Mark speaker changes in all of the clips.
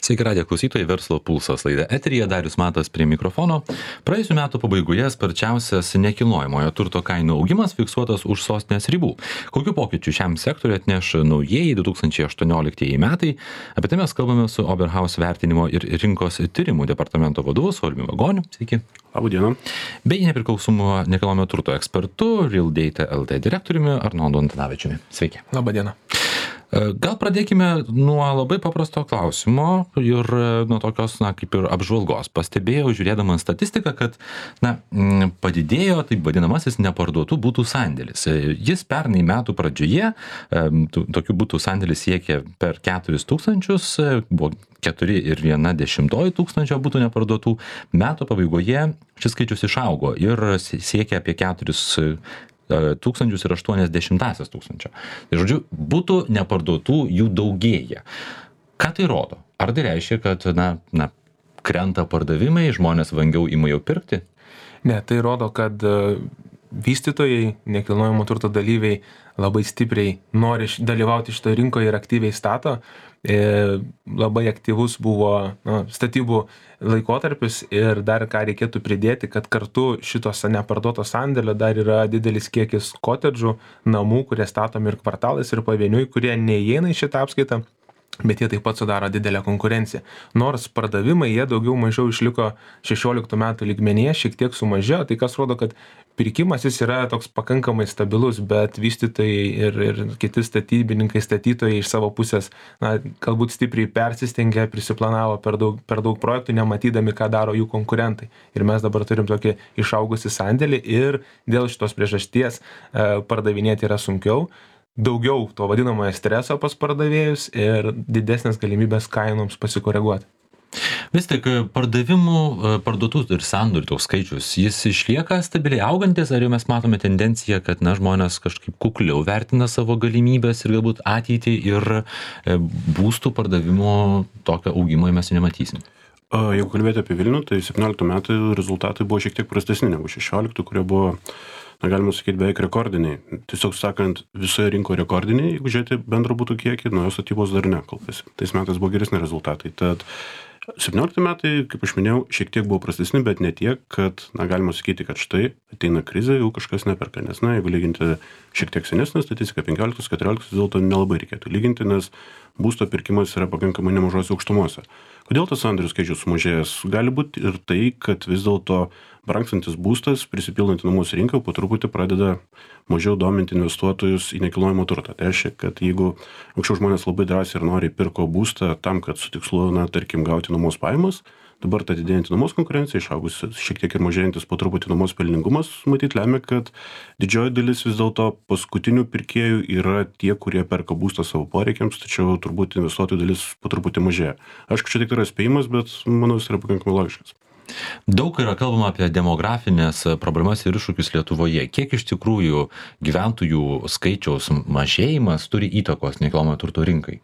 Speaker 1: Sveiki, radijo klausytojai, verslo pulsas laida eteryje, Darius Matas prie mikrofono. Praėjusiu metu pabaigoje sparčiausias nekilnojamojo turto kainų augimas fiksuotas už sostinės ribų. Kokių pokyčių šiam sektoriui atneš naujieji 2018 metai? Apie tai mes kalbame su Oberhaus vertinimo ir rinkos tyrimų departamento vadovu Sauliumi Vagoniu. Sveiki.
Speaker 2: Labą dieną.
Speaker 1: Bei nepriklausomu nekilnojamojo turto ekspertu, Real Data LT direktoriumi Arnoldu Antanavičiumi. Sveiki.
Speaker 3: Labą dieną.
Speaker 1: Gal pradėkime nuo labai paprasto klausimo ir nuo tokios, kaip ir apžvalgos. Pastebėjau, žiūrėdama statistiką, kad, padidėjo taip vadinamasis neparduotų būtų sandėlis. Jis pernai metų pradžioje, tokių būtų sandėlis siekė per 4 000, buvo 4,1 tūkstančio būtų neparduotų. Metų pabaigoje šis skaičius išaugo ir siekia apie 4,80 tūkstančio. Tai žodžiu, būtų neparduotų jų daugėja. Ką tai rodo? Ar tai reiškia, kad krenta pardavimai, žmonės vangiau ima jau pirkti?
Speaker 3: Ne, tai rodo, kad vystytojai, nekilnojamo turto dalyviai labai stipriai nori dalyvauti šitoje rinkoje ir aktyviai stato. Labai aktyvus buvo statybų laikotarpis ir dar ką reikėtų pridėti, kad kartu šitos neparduoto sandėlio dar yra didelis kiekis kotedžų, namų, kurie statomi ir kvartalais ir pavieniui, kurie neįeina į šitą apskaitą, bet jie taip pat sudaro didelę konkurenciją. Nors pardavimai jie daugiau mažiau išliko 16 metų lygmenyje, šiek tiek sumažėjo, tai kas rodo, kad pirkimas jis yra toks pakankamai stabilus, bet vystytojai ir kiti statybininkai, statytojai iš savo pusės, galbūt stipriai persistengė, prisiplanavo per daug projektų, nematydami, ką daro jų konkurentai. Ir mes dabar turim tokį išaugusį sandėlį ir dėl šitos priežasties pardavinėti yra sunkiau. Daugiau to vadinamojo streso pas pardavėjus ir didesnės galimybės kainoms pasikoreguoti.
Speaker 1: Vis tik parduotų ir sandorių toks skaičius, jis išlieka stabiliai augantis, ar jau mes matome tendenciją, kad žmonės kažkaip kukliau vertina savo galimybės ir galbūt ateitį ir būstų pardavimo tokio augimo mes nematysim?
Speaker 2: Jeigu kalbėti apie Vilnių, tai 17 metų rezultatai buvo šiek tiek prastesni negu 16, kurie buvo, galima sakyti, beveik rekordiniai. Tiesiog sakant, visoje rinkoje rekordiniai, jeigu žiūrėti bendro butų kiekį, nuo jos statybos dar ne, kol kas. Tais metais buvo geresni rezultatai. Tad 17 metai, kaip aš minėjau, šiek tiek buvo prastesni, bet ne tiek, kad, galima sakyti, kad štai ateina krizė, jau kažkas neperka. Nes, jeigu lyginti šiek tiek senesnę statistiką, 15-14, vis dėlto nelabai reikėtų lyginti, nes būsto pirkimas yra pakankamai nemažose aukštumose. Kodėl tas sandorių skaičius sumažėjęs? Gali būti ir tai, kad vis dėlto brangstantis būstas, prisipildant namus rinką, po truputį pradeda mažiau dominti investuotojus į nekilnojamą turtą. Tai reiškia, kad jeigu anksčiau žmonės labai drąsiai ir noriai pirko būstą tam, kad su tikslu, tarkim, gauti nuomos pajamas, dabar ta didėjanti nuomos konkurencija, išaugus šiek tiek ir mažėjantis po truputį nuomos pelningumas, matyt, lemia, kad didžioji dalis vis dėlto paskutinių pirkėjų yra tie, kurie perka būstą savo poreikiams, tačiau turbūt investuotojų dalis po truputį mažėja. Aišku, čia tik yra spėjimas, bet manau, jis yra pakankamai logiškas.
Speaker 1: Daug yra kalbama apie demografinės problemas ir iššūkius Lietuvoje. Kiek iš tikrųjų gyventojų skaičiaus mažėjimas turi įtakos nekilnojamojo turto rinkai?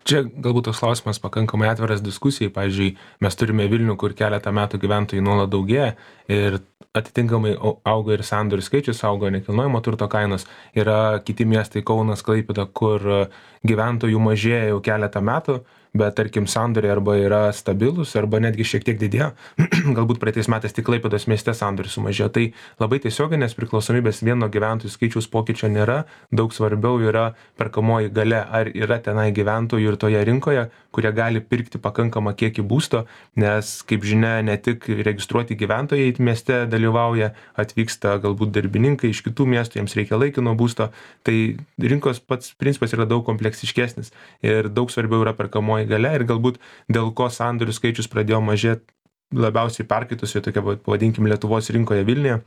Speaker 3: Čia galbūt toks klausimas pakankamai atviras diskusijai. Pavyzdžiui, mes turime Vilnių, kur keletą metų gyventojų nuolat daugėja ir atitinkamai auga ir sandorių skaičius, auga nekilnojamo turto kainos. Yra kiti miestai, Kaunas, Klaipėda, kur gyventojų mažėja jau keletą metų, bet tarkim sandoriai arba yra stabilus, arba netgi šiek tiek didėjo. Galbūt praeitais metais tik Klaipėdos mieste sandoriai sumažėjo. Tai labai tiesioginės priklausomybės vieno gyventojų skaičiaus pokyčio nėra. Daug svarbiau yra perkamoji galia, ar yra tenai gyventojų ir toje rinkoje, kurie gali pirkti pakankamą kiekį būsto, nes, kaip žinia, ne tik registruoti gyventojai mieste dalyvauja, atvyksta galbūt darbininkai iš kitų miestų, jiems reikia laikino būsto. Tai rinkos pats principas yra daug kompleksiškesnis ir daug svarbiau yra perkamoji galia ir galbūt dėl ko sandorių skaičius pradėjo mažėti labiausiai perkaitusioje tokia, pavadinkim, Lietuvos rinkoje Vilniuje.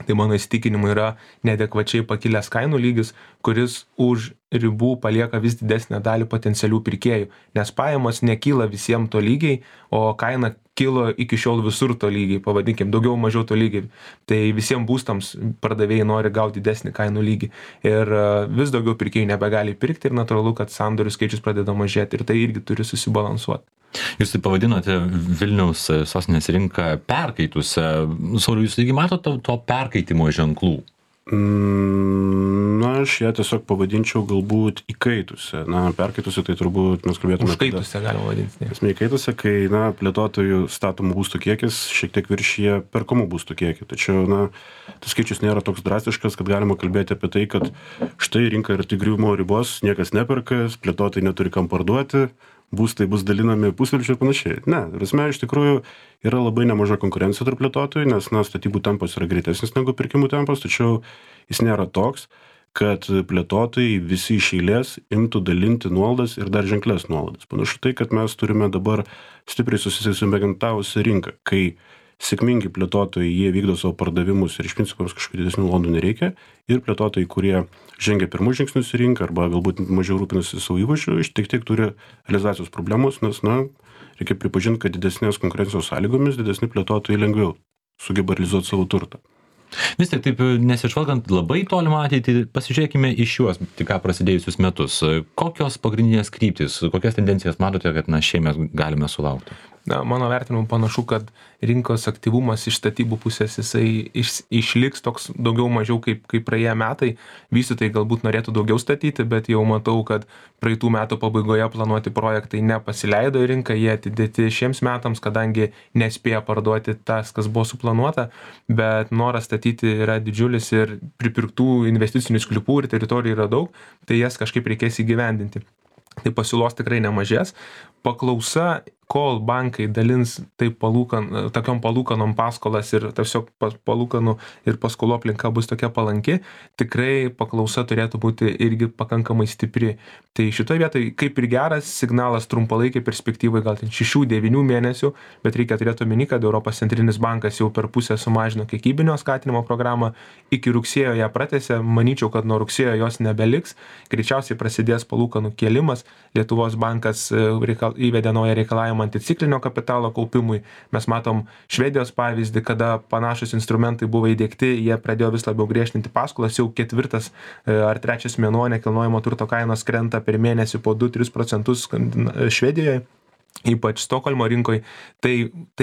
Speaker 3: Tai mano įsitikinimu yra neadekvačiai pakilęs kainų lygis, kuris už ribų palieka vis didesnę dalį potencialių pirkėjų, nes pajamos nekyla visiems to lygiai, o kaina kilo iki šiol visur to lygiai, pavadinkim, daugiau mažiau to lygiai. Tai visiems būstams pardavėjai nori gauti didesnį kainų lygį ir vis daugiau pirkėjų nebegali pirkti ir natūralu, kad sandorių skaičius pradeda mažėti ir tai irgi turi susibalansuoti.
Speaker 1: Jūs tai pavadinote Vilniaus sostinės rinką perkaitusią. Sauliau, jūs taigi matote to perkaitimo ženklų?
Speaker 2: Aš ją tiesiog pavadinčiau galbūt įkaitusią. Perkaitusią tai turbūt mes kalbėtume...
Speaker 3: Užkaitusią galima vadinti.
Speaker 2: Esmė įkaitusią, kai, plėtotojų statomų būstų kiekis šiek tiek viršyje perkamų būstų kiekį. Tačiau, tas skaičius nėra toks drastiškas, kad galima kalbėti apie tai, kad štai rinka yra tik griuvimo ribos, niekas neperka, plėtotojai neturi kam parduoti, būstai bus dalinami pusvelčių ir panašiai. Ne, esmė iš tikrųjų yra labai nemaža konkurencija tarp plėtotojų, nes statybų tempas yra greitesnis negu pirkimų tempas, tačiau jis nėra toks, kad plėtotojai visi iš eilės imtų dalinti nuolaidas ir dar ženklės nuolaidas. Panašu tai, kad mes turime dabar stipriai susisegmentavusią rinką, kai sėkmingi plėtotojai, jie vykdo savo pardavimus ir iš principo kažkokių didesnių nuolaidų nereikia, ir plėtotojai, kurie žengia pirmus žingsnius į rinką arba galbūt mažiau rūpinasi savo įvaizdžiu, tiek turi realizacijos problemos, nes, reikia pripažinti, kad didesnės konkurencijos sąlygomis didesni plėtotojai lengviau sugeba realizuoti savo turtą.
Speaker 1: Vis tik taip, nesižvalgant labai tolimą ateitį, pasižiūrėkime į šiuos tik ką prasidėjusius metus. Kokios pagrindinės kryptys, kokias tendencijas matote, kad šiemet galime sulaukti?
Speaker 3: Mano vertinimu panašu, kad rinkos aktyvumas iš statybų pusės jisai išliks toks daugiau mažiau kaip praėję metai. Vystytojai galbūt norėtų daugiau statyti, bet jau matau, kad praeitų metų pabaigoje planuoti projektai nepasileido į rinką, jie atidėti šiems metams, kadangi nespėja parduoti tas, kas buvo suplanuota, bet noras statyti yra didžiulis ir pripirktų investicinių sklypų ir teritorijų yra daug, tai jas kažkaip reikės įgyvendinti. Tai pasiūlos tikrai nemažės. Paklausa, kol bankai dalins tokiom palūkanom paskolas ir tiesiog palūkanų ir paskolų aplinka bus tokia palanki, tikrai paklausa turėtų būti irgi pakankamai stipri. Tai šitoje vietoje kaip ir geras signalas trumpalaikiai perspektyvai, gal 6-9 mėnesių, bet reikia turėti omeny, kad Europos centrinis bankas jau per pusę sumažino kiekybinio skatinimo programą, iki rugsėjo ją pratęsė, manyčiau, kad nuo rugsėjo jos nebeliks, greičiausiai prasidės palūkanų kėlimas, Lietuvos bankas įvedė naują reikalavimą anticiklinio kapitalo kaupimui. Mes matom Švedijos pavyzdį, kada panašus instrumentai buvo įdiegti, jie pradėjo vis labiau griežtinti paskolas, jau 4. ar 3. mėnuo nekilnojamo turto kainos krenta per mėnesį po 2-3% Švedijoje, ypač Stokholmo rinkoje. Tai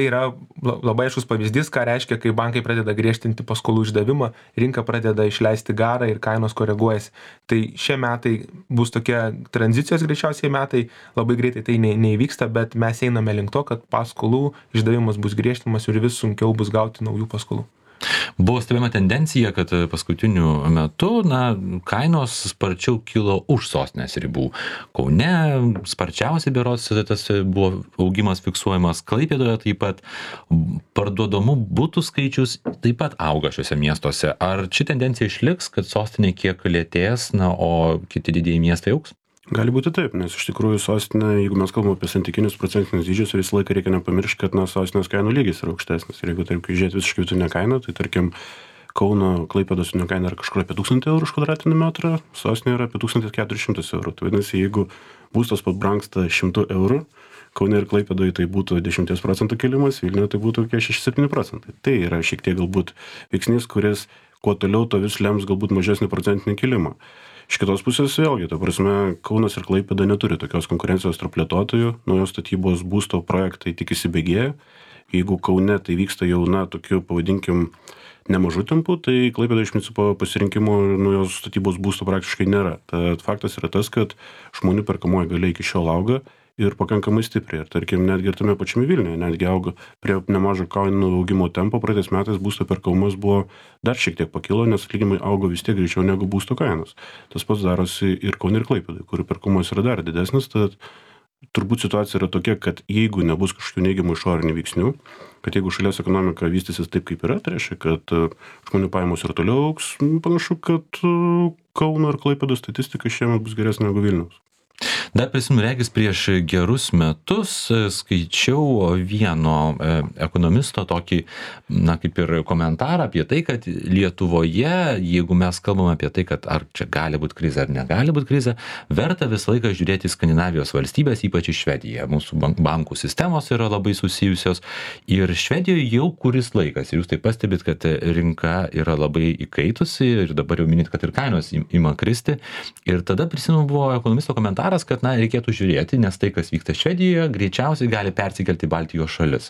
Speaker 3: yra labai aiškus pavyzdys, ką reiškia, kai bankai pradeda griežtinti paskolų išdavimą, rinka pradeda išleisti garą ir kainos koreguojasi. Tai šie metai bus tokie tranzicijos greičiausiai metai, labai greitai tai neįvyksta, bet mes einame link to, kad paskolų išdavimas bus griežtinamas ir vis sunkiau bus gauti naujų paskolų.
Speaker 1: Buvo stebima tendencija, kad paskutiniu metu kainos sparčiau kilo už sostinės ribų. Kaune sparčiausiai berods tas buvo augimas fiksuojamas, Klaipėdoje taip pat. Parduodamų butų skaičius taip pat auga šiuose miestuose. Ar ši tendencija išliks, kad sostinė kiek lėtės, o kiti didieji miestai augs?
Speaker 2: Gali būti taip, nes iš tikrųjų sostinė, jeigu mes kalbame apie santykinius procentinius dydžius, visą laiką reikia nepamiršti, kad sostinės kainų lygis yra aukštesnis. Ir jeigu taip žiūrėti visiškai vidutinę kainą, tai tarkim Kauno Klaipėdos vidutinė kaina yra kažkur apie 1000 eurų už kvadratinį metrą, sostinė yra apie 1400 eurų. Tai vadinasi, jeigu būstas pabrangsta 100 eurų, Kaune ir Klaipėdoje tai būtų 10% kilimas, Vilniuje tai būtų 6-7%. Tai yra šiek tiek galbūt veiksnys, kuris kuo toliau to vis lems galbūt mažesnį procentinį kilimą. Iš kitos pusės vėlgi, ta prasme, Kaunas ir Klaipėda neturi tokios konkurencijos tarp plėtotojų, naujos statybos būsto projektai tik įsibėgėja. Jeigu Kaune tai vyksta jau, tokiu, pavadinkim, nemažu tempu, tai Klaipėda iš principo pasirinkimo naujos statybos būsto praktiškai nėra. Tad faktas yra tas, kad žmonių perkamoji galia iki šiol auga ir pakankamai stipriai. Ir tarkim, netgi ir tame pačiame Vilniuje, netgi auga prie nemažo kainų augimo tempo, praeitais metais būsto perkamumas buvo dar šiek tiek pakilo, nes atlyginimai augo vis tiek greičiau negu būsto kainos. Tas pats darosi ir Kaune ir Klaipėdai, kurių perkamumas yra dar didesnis, tad turbūt situacija yra tokia, kad jeigu nebus kažkokių neigiamų išorinių veiksnių, kad jeigu šalies ekonomika vystysis taip, kaip yra, tai reiškia, kad žmonių pajamos ir toliau augs, panašu, kad Kauno ir Klaipėdos statistika šiemet bus geresnė negu Vilniaus.
Speaker 1: Dar prisimenu, regis prieš gerus metus skaičiau vieno ekonomisto tokį, kaip ir komentarą apie tai, kad Lietuvoje, jeigu mes kalbame apie tai, kad ar čia gali būti krizė ar negali būti krizė, verta visą laiką žiūrėti Skandinavijos valstybės, ypač į Švediją. Mūsų bankų sistemos yra labai susijusios ir Švedijoje jau kuris laikas. Ir jūs taip pastebit, kad rinka yra labai įkaitusi ir dabar jau minit, kad ir kainos ima kristi. Ir tada prisimenu, buvo ekonomisto komentaras, kad kad, na, reikėtų žiūrėti, nes tai, kas vyksta Švedijoje, greičiausiai gali persikelti į Baltijos šalis.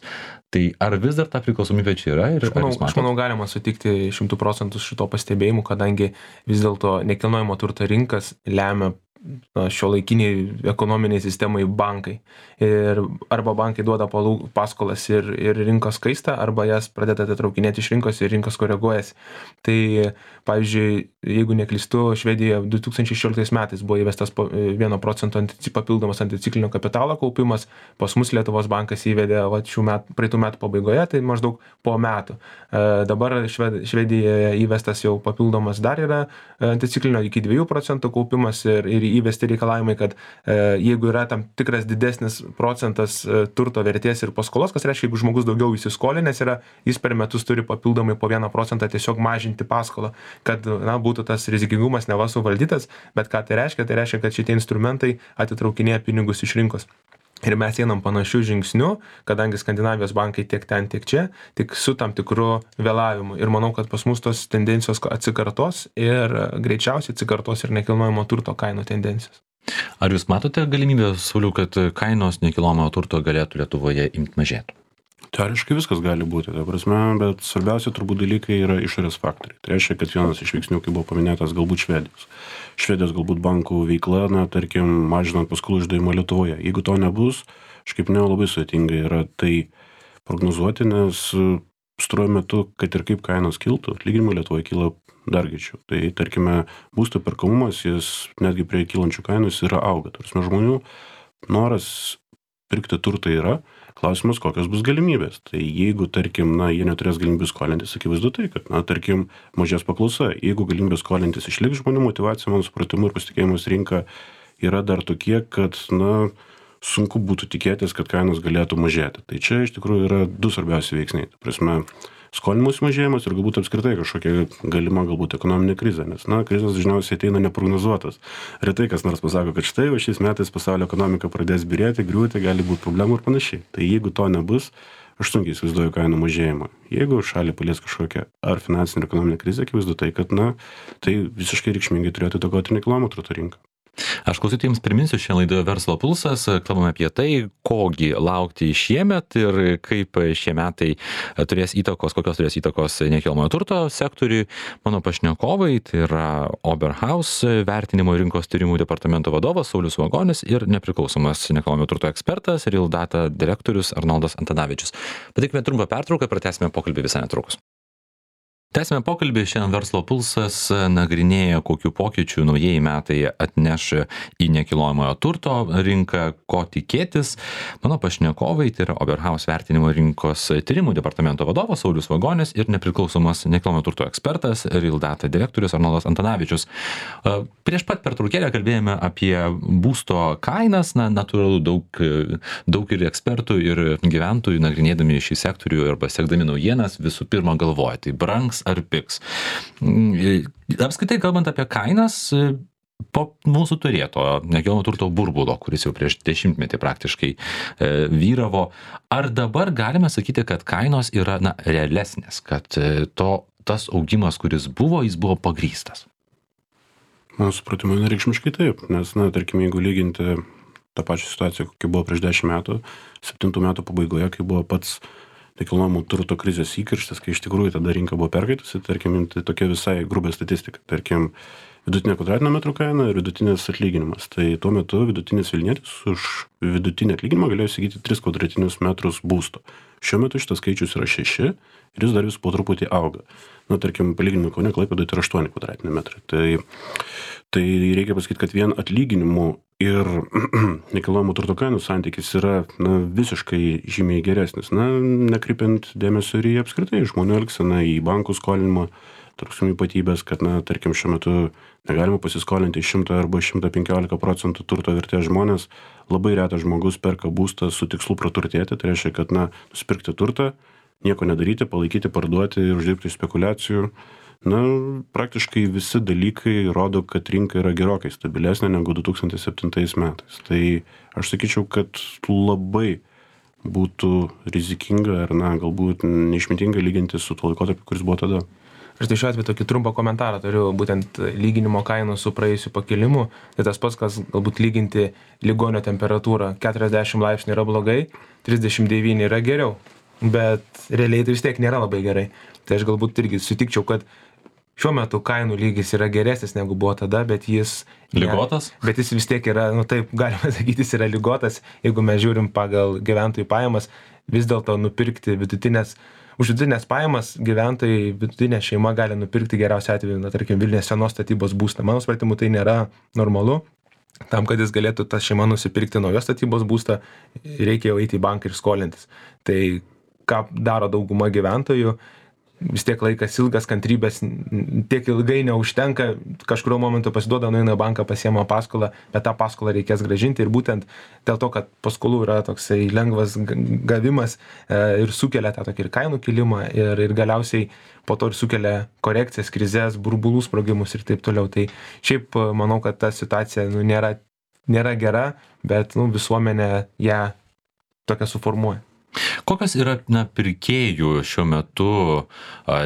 Speaker 1: Tai ar vis dar ta priklausomybė čia yra? Ir
Speaker 3: aš manau, galima sutikti 100% šito pastebėjimu, kadangi vis dėlto nekilnojamo turto rinkas lemia šiuolaikiniai ekonominiai sistemai bankai. Ir arba bankai duoda paskolas ir rinkos kaista, arba jas pradeda atitraukinėti iš rinkos ir rinkos koreguojasi. Tai, pavyzdžiui, jeigu neklystu, Švedijoje 2016 metais buvo įvestas 1% papildomas anticiklinio kapitalo kaupimas, pas mus Lietuvos bankas įvedė praeitų metų pabaigoje, tai maždaug po metų. Dabar Švedijoje įvestas jau papildomas dar yra anticiklinio iki 2% kaupimas ir įvesti reikalavimai, kad jeigu yra tam tikras didesnis procentas turto vertės ir paskolos, kas reiškia, jeigu žmogus daugiau įsiskolinęs yra, jis per metus turi papildomai po 1% tiesiog mažinti paskolą, kad būtų tas rizikingumas neva suvaldytas, bet ką tai reiškia? Tai reiškia, kad šitie instrumentai atitraukinėja pinigus iš rinkos. Ir mes einam panašių žingsnių, kadangi Skandinavijos bankai tiek ten, tiek čia, tik su tam tikru vėlavimu. Ir manau, kad pas mus tos tendencijos atsikartos ir greičiausiai atsikartos ir nekilnojamo turto kainų tendencijos.
Speaker 1: Ar jūs matote galimybę, Sauliau, kad kainos nekilnojamo turto galėtų Lietuvoje imti mažėti?
Speaker 2: Teoriškai viskas gali būti, ta prasme, bet svarbiausia turbūt dalykai yra išorės faktoriai. Tai reiškia, kad vienas iš veiksnių, kaip buvo paminėtas, galbūt Švedijos galbūt bankų veikla, tarkim, mažinant paskolų išdavimą Lietuvoje. Jeigu to nebus, aš kaip labai sudėtinga yra tai prognozuoti, nes pastaruoju metu, kad ir kaip kainos kiltų, atlyginimai Lietuvoje kyla dar greičiau. Tai, tarkime, būsto perkamumas, jis netgi prie kylančių kainų yra auga. Tarsi žmonių noras pirkti turtą yra, klausimas, kokios bus galimybės. Tai jeigu, tarkim, jie neturės galimybės skolintis, akivaizdu tai, kad, tarkim, mažės paklausa. Jeigu galimybės skolintis išliks, žmonių motyvacija, mano supratimu ir pasitikėjimas rinka yra dar tokie, kad, sunku būtų tikėtis, kad kainos galėtų mažėti. Tai čia iš tikrųjų yra du svarbiausi veiksniai. Tai prasme, skolinimus mažėjimas ir galbūt apskritai kažkokia galima galbūt ekonominė krizė, nes, krizės dažniausiai ateina neprognozuotas. Retai kas nors pasako, kad štai šiais metais pasaulio ekonomika pradės byrėti, griūti, gali būti problemų ir panašiai. Tai jeigu to nebus, aš sunkiai įsivaizduoju kainų mažėjimą. Jeigu šalį palies kažkokia ar finansinė ir ekonominė krizė, akivaizdu tai, kad, tai visiškai reikšmingai turėtų įtakoti nekilnojamo turto rinką.
Speaker 1: Aš klausytojams priminsiu, šiandien laidoje Verslo pulsas, kalbame apie tai, kogi laukti šiemet ir kaip šie metai kokios turės įtakos nekilnojamojo turto sektoriui. Mano pašnekovai, tai yra Oberhaus vertinimo rinkos tyrimų departamento vadovas Saulius Vagonis ir nepriklausomas nekilnojamojo turto ekspertas Real Data direktorius Arnoldas Antanavičius. Padarykime trumpą pertrauką, pratęsime pokalbį visai netrukus. Tęsime pokalbį, šiandien Verslo pulsas nagrinėja, kokių pokyčių naujieji metai atneš į nekilnojamojo turto rinką, ko tikėtis. Mano pašnekovai, tai yra Oberhaus vertinimo rinkos tyrimų departamento vadovas Saulius Vagonis ir nepriklausomas nekilnojamojo turto ekspertas Real Data direktorius Arnoldas Antanavičius. Prieš pat pertraukėlę kalbėjome apie būsto kainas, natūralu daug ir ekspertų ir gyventojų nagrinėdami šį sektorių arba sekdami naujienas visų pirma galvoja, tai brangs ar pigs. Apskritai kalbant apie kainas, po mūsų turėto nekilnojamo turto burbulo, kuris jau prieš 10-metį praktiškai vyravo, ar dabar galime sakyti, kad kainos yra realesnės, kad tas augimas, kuris buvo, jis buvo pagrįstas?
Speaker 2: Mano supratimu, reikšmiškai taip, nes, tarkim, jeigu lyginti tą pačią situaciją, kokia buvo prieš 10 metų, 7 metų pabaigoje, kai buvo pats nekilnojamo turto krizės įkarštis, kai iš tikrųjų tada rinka buvo perkaitusi, tarkim, tai tokia visai grubė statistika. Tarkim, vidutinė kvadratinio metro kaina ir vidutinis atlyginimas. Tai tuo metu vidutinis Vilnietis už vidutinį atlyginimą galėjo įsigyti 3 kvadratinius metrus būsto. Šiuo metu šitas skaičius yra 6 ir jis dar vis po truputį auga. Tarkim, palyginimui Kaune, Klaipėdoje tai yra 8 kvadratiniai metrai. Tai reikia pasakyti, kad vien atlyginimų ir nekilnojamo turto kainų santykis yra visiškai žymiai geresnis. Nekreipiant dėmesio ir į apskritai žmonių elgseną, į bankų skolinimą, tarpsum ypatybės, kad, tarkim, šiuo metu negalima pasiskolinti 100 arba 115% turto vertės žmonės. Labai retas žmogus perka būstą su tikslu praturtėti, tai reiškia, kad, nusipirkti turtą, nieko nedaryti, palaikyti, parduoti ir uždirbti spekuliacijų. Praktiškai visi dalykai rodo, kad rinka yra gerokai stabilesnė negu 2007 metais. Tai aš sakyčiau, kad labai būtų rizikinga ar galbūt neišmintinga lyginti su tuo laikotarpiu, kuris buvo tada.
Speaker 3: Aš tai šiuo atveju tokį trumpą komentarą turiu, būtent lyginimo kainų su praėjusiu pakilimu. Tai tas pats, kas galbūt lyginti ligonio temperatūrą. 40 laipsnių yra blogai, 39 yra geriau. Bet realiai tai vis tiek nėra labai gerai. Tai aš galbūt irgi sutikčiau, kad šiuo metu kainų lygis yra geresnis negu buvo tada, bet jis...
Speaker 1: Ligotas?
Speaker 3: Bet jis vis tiek yra, taip, galima sakyti, jis yra ligotas. Jeigu mes žiūrim pagal gyventojų pajamas, vis dėlto nupirkti už vidutinės pajamas gyventojai, vidutinė šeima gali nupirkti geriausiu atveju, tarkim, Vilniuje senos statybos būstą. Mano supratimu, tai nėra normalu. Tam, kad jis galėtų tą šeimą nusipirkti naujos statybos būstą, reikia jau eiti į banką ir skolintis. Tai ką daro dauguma gyventojų, vis tiek laikas ilgas, kantrybės tiek ilgai neužtenka, kažkurio momentu pasiduoda, nueina į banką, pasiema paskolą, bet tą paskolą reikės grąžinti ir būtent dėl to, kad paskolų yra toksai lengvas gavimas ir sukelia tą tokį ir kainų kilimą ir galiausiai po to ir sukelia korekcijas, krizės, burbulų sprogimus ir taip toliau. Tai šiaip manau, kad ta situacija nėra gera, bet visuomenė ją tokią suformuoja.
Speaker 1: Kokios yra pirkėjų šiuo metu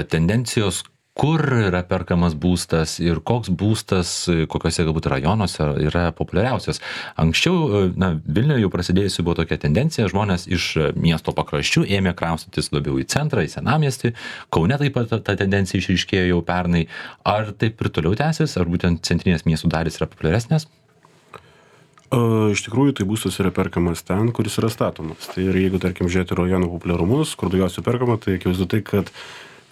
Speaker 1: tendencijos, kur yra perkamas būstas ir koks būstas, kokiuose galbūt rajonuose yra populiariausias? Anksčiau, Vilniuje jau prasidėjusi buvo tokia tendencija, žmonės iš miesto pakraščių ėmė kraustytis labiau į centrą, į senamiestį. Kaune taip pat ta tendencija išryškėjo jau pernai. Ar taip ir toliau tęsis, ar būtent centrinės miestų dalys yra populiaresnės?
Speaker 2: Iš tikrųjų, tai būstas yra perkamas ten, kuris yra statomas. Tai ir jeigu, tarkim, žiūrėti rajonų populiarumus, kur daugiausiai perkama, tai akivaizdu tai, kad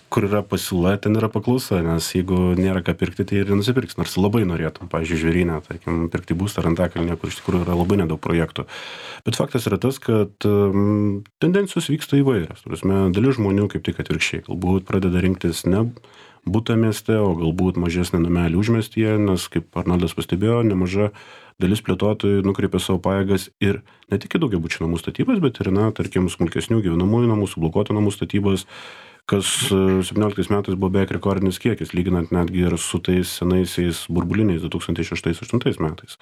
Speaker 2: kur yra pasiūla, ten yra paklausa, nes jeigu nėra ką pirkti, tai ir nusipirks, nors labai norėtum, pavyzdžiui, Žvėryne, tarkim, pirkti būstą ar Antakalnyje, kur iš tikrųjų yra labai nedaug projektų. Bet faktas yra tas, kad tendencijos vyksta įvairios. Dalis žmonių kaip tik atvirkščiai, galbūt pradeda rinktis ne butą mieste, o galbūt mažesnį namelį užmiestyje, nes, kaip Arnoldas pastebėjo, nemaža dalis plėtotojų nukreipia savo pajėgas ir ne tik į daugiabučių namų statybas, bet ir, tarkim, smulkesnių gyvenamųjų namų, sublokuotų namų statybas, kas 17 metais buvo beveik rekordinis kiekis, lyginant netgi ir su tais senaisiais burbuliniais 2006-2008 metais.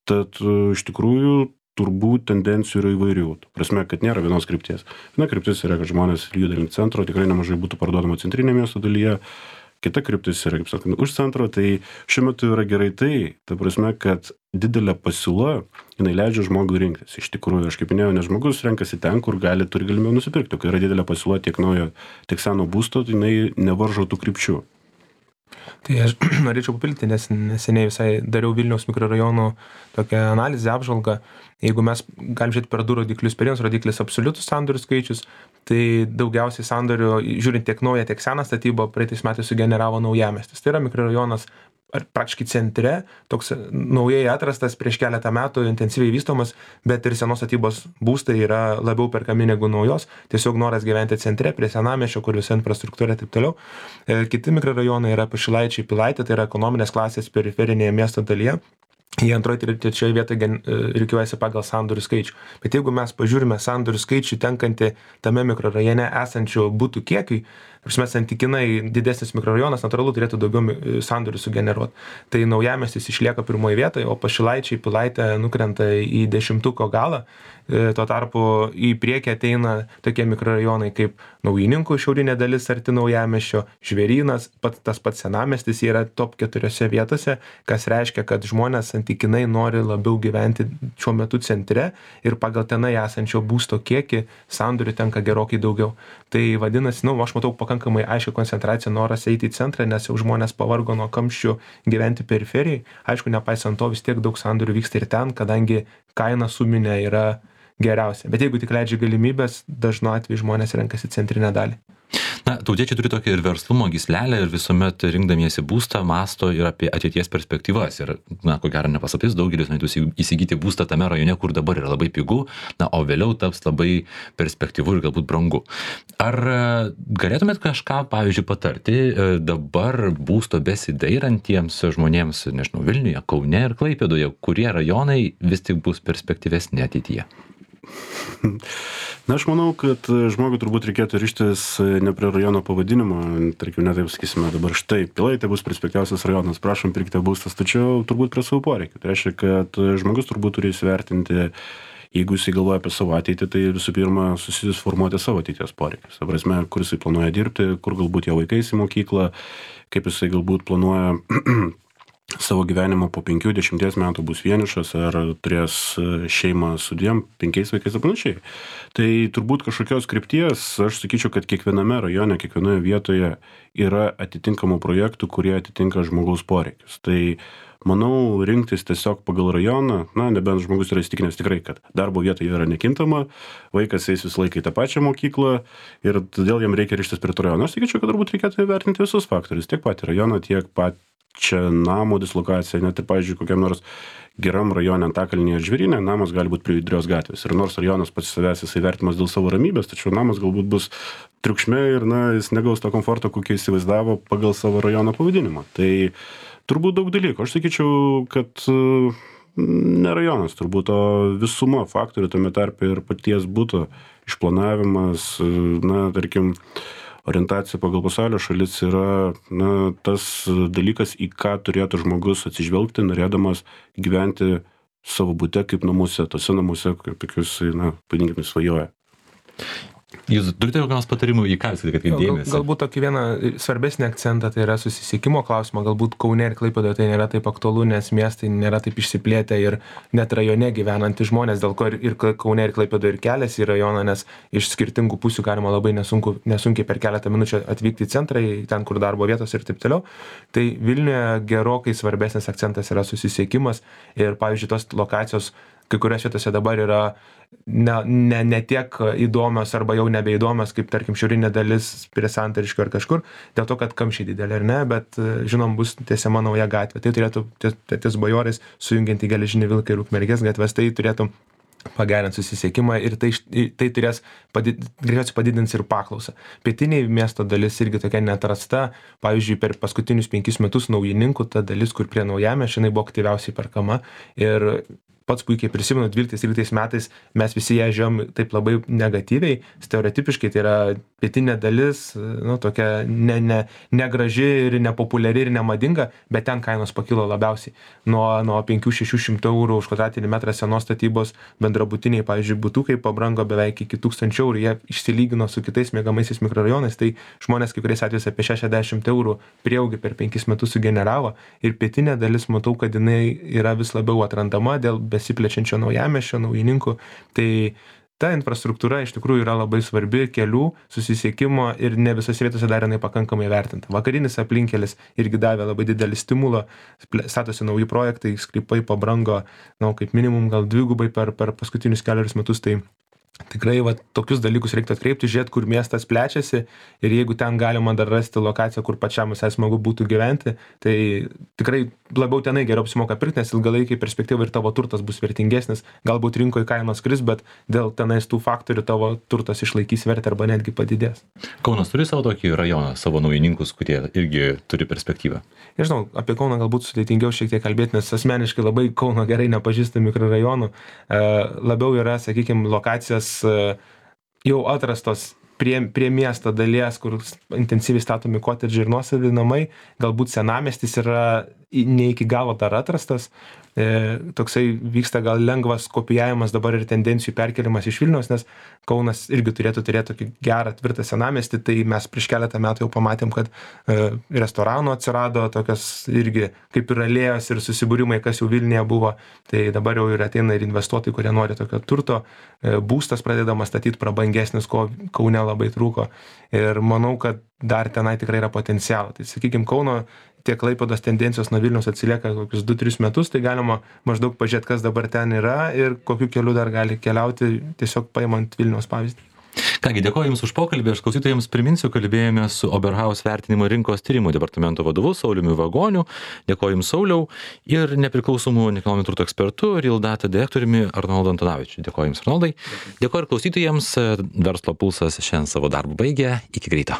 Speaker 2: Tad iš tikrųjų turbūt tendencijų yra įvairių. Prasme, kad nėra vienos krypties. Viena kryptis yra, kad žmonės juda link centro, tikrai nemažai būtų parduodama centrinė miesto dalyje. Kita kryptis yra, kaip sakant, už centro, tai šiuo metu yra gerai ta prasme, kad didelė pasiūla, jinai leidžia žmogui rinktis. Iš tikrųjų, aš kaip minėjau, nes žmogus renkasi ten, kur turi galimybę nusipirkti. Kai yra didelė pasiūla tiek naujo, tiek seno būsto, tai jinai nevaržo tų krypčių.
Speaker 3: Tai aš norėčiau papildyti, nes neseniai visai dariau Vilniaus mikrorajonų tokią analizę, apžvalgą. Jeigu mes galim žiūrėti per du rodiklius, per vienas rodiklis absoliutus sandorių skaičius, tai daugiausiai sandorių, žiūrint tiek naują, tiek seną statybą, praeitais metais sugeneravo Naujamiestis. Tai yra mikrorajonas praktiškai centre, toks naujai atrastas prieš keletą metų, intensyviai vystomas, bet ir senos statybos būstai yra labiau perkami negu naujos, tiesiog noras gyventi centre, prie senamiesčio, kur visa infrastruktūra ir taip toliau. Kiti mikrorajonai yra Pašilaičiai, Pilaitė, tai yra ekonominės klasės periferinėje miesto dalyje. Į antroji ir trečioje vietoje rikiuojasi pagal sandorių skaičių. Bet jeigu mes pažiūrime sandorių skaičių tenkantį tame mikrorajone esančių butų kiekiui, santykinai didesnis mikrorajonas natūralu turėtų daugiau sandorių sugeneruoti. Tai Naujamiestis išlieka pirmoje vietoje, o Pašilaičiai, Pilaitė nukrenta į 10-ko galą. Tuo tarpu į priekį ateina tokie mikrorajonai kaip Naujininkų šiaurinė dalis arti Naujamiesčio, Žvėrynas, tas pats senamiestis yra top 4 vietose, kas reiškia, kad žmonės santykinai nori labiau gyventi šiuo metu centre ir pagal tenai esančio būsto kiekį sandorių tenka gerokai daugiau. Tai vadinasi, aš matau pakankamai aiškią koncentraciją noras eiti į centrą, nes jau žmonės pavargo nuo kamščių gyventi periferijai. Aišku, nepaisant to vis tiek daug sandorių vyksta ir ten, kadangi kaina suminė yra geriausia. Bet jeigu tik leidžia galimybės, dažnu atveju žmonės renkasi centrinę dalį.
Speaker 1: Tautiečiai turi tokią ir verslumo gyslelę ir visuomet rinkdamiesi būstą mąsto ir apie ateities perspektyvas. Ir, ko gero nepaslaptis, daugelis norėtų įsigyti būstą tame rajone, kur dabar yra labai pigu, o vėliau taps labai perspektyvu ir galbūt brangu. Ar galėtumėt kažką, pavyzdžiui, patarti dabar būsto besidairantiems žmonėms, nežinau, Vilniuje, Kaune ir Klaipėdoje, kurie rajonai vis tik bus perspektyvesni ateityje?
Speaker 2: Aš manau, kad žmogui turbūt reikėtų ryžtis ne prie rajono pavadinimo, tarkim, netaip sakysime dabar štai, Pilaitė bus perspektyviausias rajonas, prašom pirkite būstas, tačiau turbūt prie savo poreikių. Tai reiškia, kad žmogus turbūt turi įsivertinti jeigu jisai galvoja apie savo ateitį, tai visų pirma susiformuoti savo ateities poreikius. Ta prasme, kur jisai planuoja dirbti, kur galbūt jo vaikai į mokyklą, kaip jisai galbūt planuoja savo gyvenimą po 5-10 metų bus vienišas ar turės šeimą su 2-5 vaikais ir panašiai. Tai turbūt kažkokios krypties, aš sakyčiau, kad kiekviename rajone, kiekvienoje vietoje yra atitinkamų projektų, kurie atitinka žmogaus poreikius. Tai manau, rinktis tiesiog pagal rajoną, nebent žmogus yra įstikinęs tikrai, kad darbo vieta yra nekintama, vaikas eis visą laiką į tą pačią mokyklą ir todėl jam reikia rištis prie to rajono. Aš sakyčiau, kad turbūt reikėtų įvertinti visus faktorius, tiek patį rajoną, tiek čia namo dislokacija, net ir, pavyzdžiui, kokiam nors geram rajone Antakalnyje ar Žvėryne, namas gali būti prie Judrios gatvės. Ir nors rajonas pats savęs jisai vertimas dėl savo ramybės, tačiau namas galbūt bus triukšme ir jis negaus to komforto, kokį įsivaizdavo pagal savo rajono pavadinimą. Tai turbūt daug dalykų. Aš sakyčiau, kad ne rajonas, turbūt o visuma faktorių, tame tarpe ir paties buto išplanavimas, tarkim, orientacija pagal pasaulio šalis yra tas dalykas, į ką turėtų žmogus atsižvelgti, norėdamas gyventi savo bute kaip namuose, tose namuose, kaip tokius, pavadinkime, svajoja.
Speaker 1: Jūs turite kokios patarimų, į ką jūs atkreipėte dėmesį?
Speaker 3: Galbūt tokį vieną svarbesnį akcentą, tai yra susisiekimo klausimą. Galbūt Kaune ir Klaipėdoje tai nėra taip aktualu, nes miestai nėra taip išsiplėtę ir net rajone gyvenantys žmonės, dėl ko ir Kaune ir Klaipėdoje ir keliasi į rajoną, nes iš skirtingų pusių galima labai nesunkiai per keletą minučių atvykti į centrą, ten, kur darbo vietos ir taip toliau. Tai Vilniuje gerokai svarbesnis akcentas yra susisiekimas ir, pavyzdžiui, tos lokacijos kai kurios vietose dabar yra ne tiek įdomios arba jau nebeįdomios, kaip tarkim šiaurinė dalis prie Santariškių ar kažkur, dėl to, kad kamščiai didelė ar ne, bet žinom, bus tiesiama nauja gatvė. Tai turėtų ties Bajorais sujungianti Geležinį Vilką ir Ukmergės gatves, tai turėtų pagerinti susisiekimą ir tai turės greičiausiai padidins ir paklausą. Pietiniai miesto dalis irgi tokia neatrasta, pavyzdžiui, per paskutinius 5 metus Naujininkų ta dalis, kur prie Naujamiesčio, jinai buvo aktyviausiai perkama ir pats puikiai prisimenu, 12-13 metais mes visi ją žiūrėjom taip labai negatyviai, stereotipiškai, tai yra pietinė dalis, tokia negraži ir nepopuliari ir nemadinga, bet ten kainos pakilo labiausiai. Nuo 500-600 eurų už kvadratinį metrą senos statybos bendrabutiniai, pavyzdžiui, butukai pabrango beveik iki 1000 eurų, jie išsilygino su kitais miegamaisiais mikrorajonais, tai žmonės kai kuriais atvejais apie 60 eurų prieaugį per 5 metus sugeneravo ir pietinė dalis, matau, kad jinai yra vis labiau atrandama dėl besiplečiančio Naujamiesčio, Naujininkų, tai ta infrastruktūra iš tikrųjų yra labai svarbi, kelių, susisiekimo ir ne visose vietose dar jinai pakankamai vertinta. Vakarinis aplinkelis irgi davė labai didelį stimulą, statosi nauji projektai, sklypai pabrango, kaip minimum gal 2 per paskutinius 4 metus, tai tikrai tokius dalykus reiktų atkreipti, žiūrėti, kur miestas plečiasi ir jeigu ten galima dar rasti lokaciją, kur pačiam visai smagu būtų gyventi, tai tikrai labiau tenai geriau apsimoka pirkti, nes ilgalaikiai perspektyvai ir tavo turtas bus vertingesnis, galbūt rinkoje kainos kris, bet dėl tenais tų faktorių tavo turtas išlaikys vertę arba netgi padidės.
Speaker 1: Kaunas turi savo tokį rajoną, savo Naujininkus, kurie irgi turi perspektyvą?
Speaker 3: Nežinau, apie Kauną galbūt sudėtingiau šiek tiek kalbėti, nes asmeniškai labai Kauno gerai nepažįstu mikrorajonų, labiau yra, sakykime, lokacijos jau atrastos prie miesto dalies, kur intensyviai statomi kotedžiai ir nuosavi namai, galbūt senamiestis yra ne iki galo dar atrastas, toksai vyksta gal lengvas kopijavimas dabar ir tendencijų perkelimas iš Vilniaus, nes Kaunas irgi turėtų turėti tokį gerą, tvirtą senamiestį, tai mes prieš keletą metų jau pamatėm, kad restoranų atsirado tokios irgi kaip ir alėjos ir susibūrimai, kas jau Vilniuje buvo, tai dabar jau ir ateina ir investuotojai, kurie nori tokio turto, būstas pradedamas statyti prabangesnis, ko Kaune labai trūko ir manau, kad dar tenai tikrai yra potencialo. Tai sakykime, Kauno tiek Klaipėdos tendencijos nuo Vilniaus atsilieka kokius 2-3 metus, tai galima maždaug pažiūrėti, kas dabar ten yra ir kokiu keliu dar gali keliauti, tiesiog paimant Vilniaus pavyzdį.
Speaker 1: Kągi, dėkoju Jums už pokalbį, aš klausytojams priminsiu, kalbėjome su Oberhaus vertinimo rinkos tyrimų departamento vadovu Sauliumi Vagoniu, dėkoju Jums Sauliau ir nepriklausomų nekilnojamo turto ekspertu Real Data direktoriumi Arnoldu Antanavičiu. Dėkoju Jums Arnoldai, dėkoju ir klausytojams, Verslo pulsas šiandien savo darbą baigė, iki greito.